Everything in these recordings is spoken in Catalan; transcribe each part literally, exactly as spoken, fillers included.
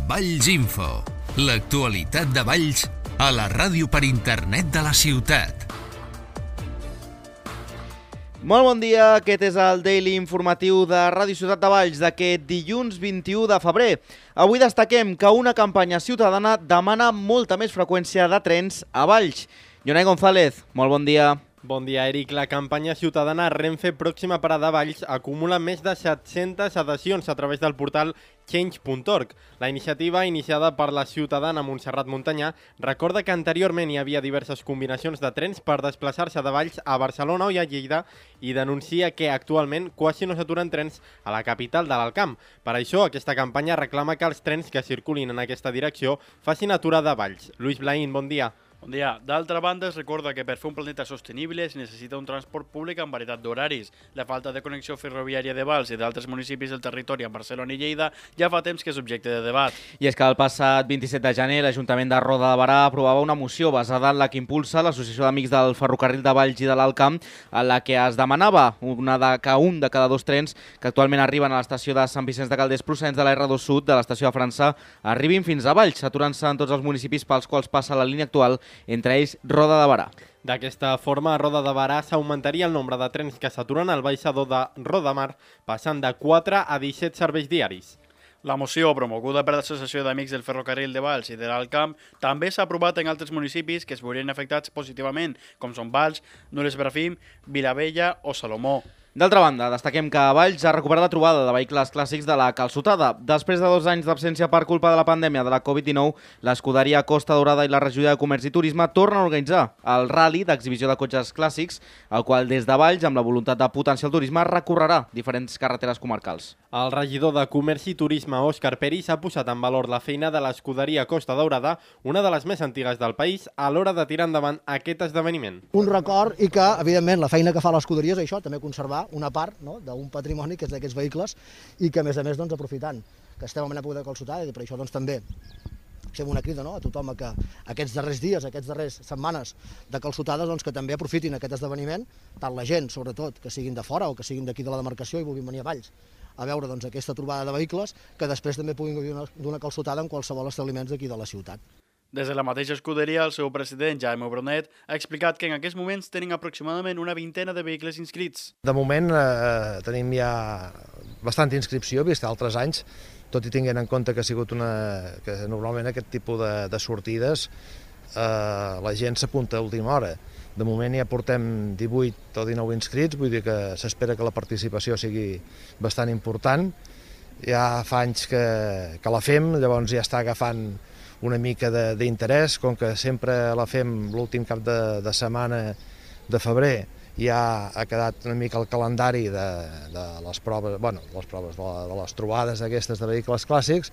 Valls Info, l'actualitat de Valls a la ràdio per internet de la ciutat. Molt bon dia, aquest és el Daily Informatiu de Ràdio Ciutat de Valls d'aquest dilluns vint-i-u de febrer. Avui destaquem que una campanya ciutadana demana molta més freqüència de trens a Valls. Jonai González, molt bon dia. Bon dia, Eric. La campanya ciutadana Renfe Pròxima Parada Valls acumula més de set-centes adhesions a través del portal change punt org. La iniciativa, iniciada per la ciutadana Montserrat Montanyà, recorda que anteriorment hi havia diverses combinacions de trens per desplaçar-se de Valls a Barcelona o a Lleida i denuncia que actualment quasi no s'aturen trens a la capital de l'Alt Camp. Per això, aquesta campanya reclama que els trens que circulin en aquesta direcció facin aturada a Valls. Lluís Blaín, bon dia. Bon dia. D'altra banda, es recorda que per fer un planeta sostenible es necessita un transport públic amb varietat d'horaris. La falta de connexió ferroviària de Valls i d'altres municipis del territori amb Barcelona i Lleida ja fa temps que és objecte de debat. I és que el passat vint-i-set de gener l'Ajuntament de Roda de Berà aprovava una moció basada en la que impulsa l'Associació d'Amics del Ferrocarril de Valls i de l'Alt Camp, en la que es demanava una de, que un de cada dos trens que actualment arriben a l'estació de Sant Vicenç de Calders procedents de la erre dos Sud de l'estació de França arribin fins a Valls, aturant-se en tots els municipis pels quals passa la línia actual, entre ells Roda de Berà. D'aquesta forma, a Roda de Berà s'augmentaria el nombre de trens que s'aturen al baixador de Rodamar, passant de quatre a disset serveis diaris. La moció, promoguda per l'Associació d'Amics del Ferrocarril de Valls i de l'Alt Camp, també s'ha aprovat en altres municipis que es veurien afectats positivament, com són Valls, Nules Brafim, Vilavella o Salomó. D'altra banda, destaquem que Valls ha recuperat la trobada de vehicles clàssics de la calçotada. Després de dos anys d'absència per culpa de la pandèmia de la covid dinou, l'Escuderia Costa Daurada i la Regidoria de Comerç i Turisme tornen a organitzar el rally d'exhibició de cotxes clàssics, el qual des de Valls, amb la voluntat de potenciar el turisme, recorrerà diferents carreteres comarcals. El regidor de Comerç i Turisme, Òscar Peris, ha posat en valor la feina de l'Escuderia Costa Daurada, una de les més antigues del país, a l'hora de tirar endavant aquest esdeveniment. Un record i que, evidentment, la feina que fa l'Escuderia és això, també conservar una part, no?, d'un patrimoni que és d'aquests vehicles i que, a més a més, doncs, aprofitant que estem en època de calçotada, i per això doncs, també fem una crida, no?, a tothom a que aquests darrers dies, aquests darrers setmanes de calçotades, doncs, que també aprofitin aquest esdeveniment, tant la gent, sobretot, que siguin de fora o que siguin d'aquí de la demarcació i vulguin venir a Valls a veure doncs, aquesta trobada de vehicles, que després també puguin gaudir d'una calçotada en qualsevol establiments d'aquí de la ciutat. Des de la mateixa escuderia, el seu president, Jaume Bronet, ha explicat que en aquests moments tenen aproximadament una vintena de vehicles inscrits. De moment eh, tenim ja bastanta inscripció, vist altres anys, tot i tinguent en compte que ha sigut una... que normalment aquest tipus de, de sortides eh, la gent s'apunta a última hora. De moment ja portem divuit o dinou inscrits, vull dir que s'espera que la participació sigui bastant important. Ja fa anys que, que la fem, llavors ja està agafant una mica d'interès, com que sempre la fem l'últim cap de, de setmana de febrer, ja ha quedat una mica el calendari de, de les proves, bueno, les proves de, la, de les trobades aquestes de vehicles clàssics.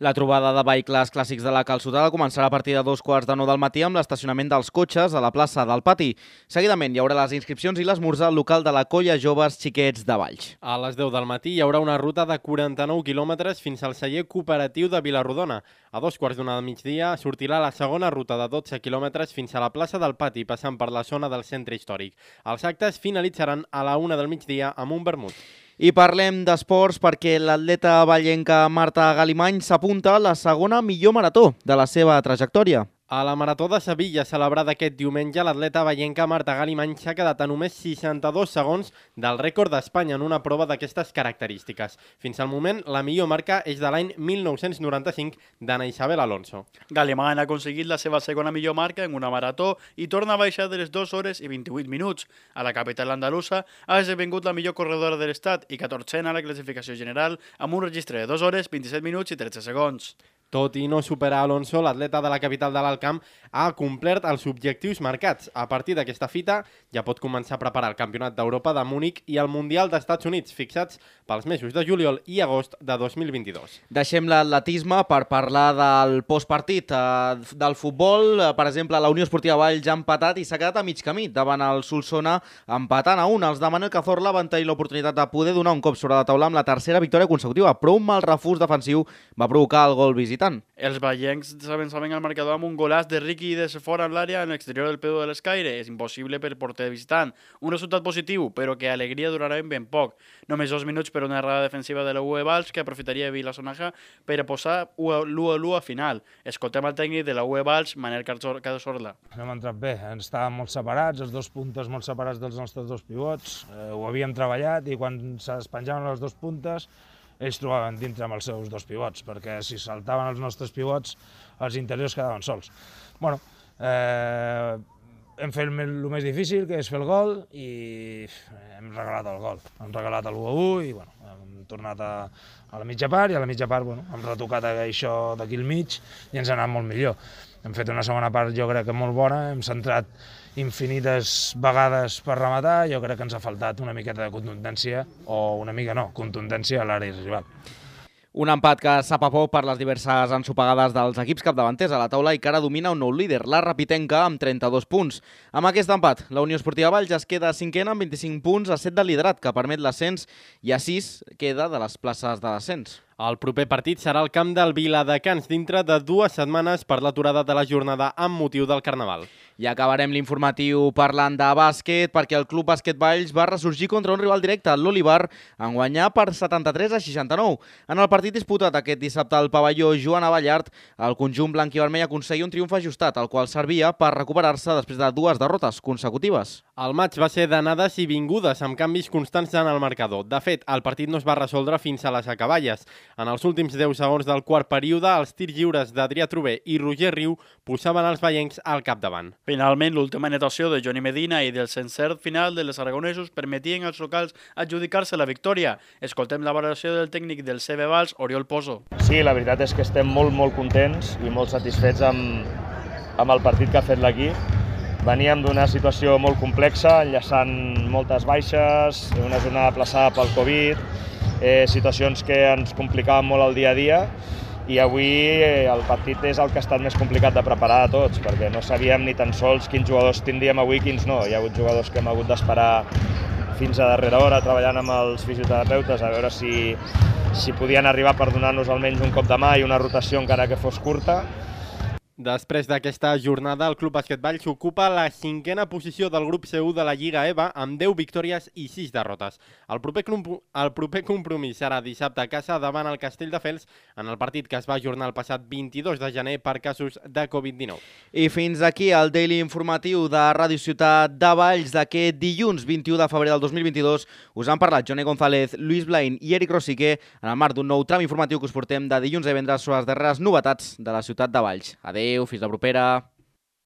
La trobada de vehicles clàssics de la calçotada començarà a partir de dos quarts de nou del matí amb l'estacionament dels cotxes a la plaça del Pati. Seguidament hi haurà les inscripcions i l'esmorzar al local de la Colla Joves Xiquets de Valls. A les deu del matí hi haurà una ruta de quaranta-nou quilòmetres fins al celler cooperatiu de Vilarrodona. A dos quarts d'una del migdia sortirà la segona ruta de dotze quilòmetres fins a la plaça del Pati, passant per la zona del centre històric. Els actes finalitzaran a la una del migdia amb un vermut. I parlem d'esports perquè l'atleta vallenca Marta Galimany s'apunta a la segona millor marató de la seva trajectòria. A la Marató de Sevilla, celebrada aquest diumenge, l'atleta vallenca Marta Galimany s'ha quedat a només seixanta-dos segons del rècord d'Espanya en una prova d'aquestes característiques. Fins al moment, la millor marca és de l'any mil nou-cents noranta-cinc d'Anna Isabel Alonso. Galimany ha aconseguit la seva segona millor marca en una marató i torna a baixar de les dues hores i vint-i-vuit minuts. A la capital andalusa ha esdevingut la millor corredora de l'estat i catorzena a la classificació general amb un registre de dues hores, vint-i-set minuts i tretze segons. Tot i no superar Alonso, l'atleta de la capital de l'Alt Camp ha complert els objectius marcats. A partir d'aquesta fita ja pot començar a preparar el Campionat d'Europa de Múnich i el Mundial d'Estats Units, fixats pels mesos de juliol i agost de dos mil vint-i-dos. Deixem l'atletisme per parlar del postpartit eh, del futbol. Per exemple, la Unió Esportiva Valls ha empatat i s'ha quedat a mig camí davant el Solsona, empatant a un. Els de Manuel Cazorla van tenir l'oportunitat de poder donar un cop sobre la taula amb la tercera victòria consecutiva, però un mal refús defensiu va provocar el gol visitant. visitant. Els vallencs s'avançaven al marcador amb un golaç de Riqui des fora en l'àrea en l'exterior del Pedro de l'Escaire. És impossible per porter visitant. Un resultat positiu, però que alegria durarà ben poc. Només dos minuts per una errada defensiva de la U E Valls que aprofitaria Vilasonaja per a posar l'u a l'u a final. Escoltem el tècnic de la U E Valls, Manel Cazorla. Hem entrat bé, ens estàvem molt separats, els dos puntes molt separats dels nostres dos pivots. Eh, ho havíem treballat i quan es penjaven les dos puntes ells trobaven dintre amb els seus dos pivots, perquè si saltaven els nostres pivots, els interiors quedaven sols. Bueno, eh, hem fet el més difícil, que és fer el gol, i hem regalat el gol. Hem regalat l'u a u i bueno, hem tornat a, a la mitja part, i a la mitja part bueno, hem retocat això d'aquí al mig i ens ha anat molt millor. Hem fet una segona part, jo crec que molt bona, hem centrat infinites vegades per rematar, jo crec que ens ha faltat una miqueta de contundència, o una mica no, contundència a l'àrea rival. Un empat que sap a poc per les diverses ensopegades dels equips capdavanters a la taula i que ara domina un nou líder, la Rapitenca, amb trenta-dos punts. Amb aquest empat, la Unió Esportiva Valls es queda cinquena amb vint-i-cinc punts a set del liderat, que permet l'ascens, i a sis queda de les places de descens. El proper partit serà al camp del Viladecans dintre de dues setmanes per l'aturada de la jornada amb motiu del Carnaval. I acabarem l'informatiu parlant de bàsquet, perquè el Club Bàsquet Valls va ressorgir contra un rival directe, l'Olivar, en guanyar per setanta-tres a seixanta-nou. En el partit disputat aquest dissabte al pavelló Joan Avallart, el conjunt blanc i vermell aconseguia un triomf ajustat, el qual servia per recuperar-se després de dues derrotes consecutives. El maig va ser d'anades i vingudes, amb canvis constants en el marcador. De fet, el partit no es va resoldre fins a les acaballes. En els últims deu segons del quart període, els tirs lliures d'Adrià Trober i Roger Riu posaven els vallencs al capdavant. Finalment, l'última anotació de Johnny Medina i del encert final de les aragonesos permetien als locals adjudicar-se la victòria. Escoltem la valoració del tècnic del C B Valls, Oriol Pozo. Sí, la veritat és que estem molt, molt contents i molt satisfets amb, amb el partit que ha fet l'equip. Veníem d'una situació molt complexa, enllaçant moltes baixes, una jornada aplaçada pel Covid, eh, situacions que ens complicaven molt el dia a dia, i avui eh, el partit és el que ha estat més complicat de preparar de tots, perquè no sabíem ni tan sols quins jugadors tindríem avui i quins no. Hi ha hagut jugadors que hem hagut d'esperar fins a darrera hora treballant amb els fisioterapeutes a veure si, si podien arribar per donar-nos almenys un cop de mà i una rotació encara que fos curta. Després d'aquesta jornada, el Club Bàsquet Valls ocupa la cinquena posició del grup C u de la Lliga EVA amb deu victòries i sis derrotes. El proper, el proper compromís serà dissabte a casa davant el Castelldefels en el partit que es va ajornar el passat vint-i-dos de gener per casos de Covid dinou. I fins aquí el Daily Informatiu de Ràdio Ciutat de Valls d'aquest dilluns vint-i-u de febrer del dos mil vint-i-dos. Us han parlat Johnny González, Lluís Blain i Eric Rosique en el marc d'un nou tram informatiu que us portem de dilluns a divendres sobre les darreres novetats de la ciutat de Valls. Adéu. Adéu, fins la propera.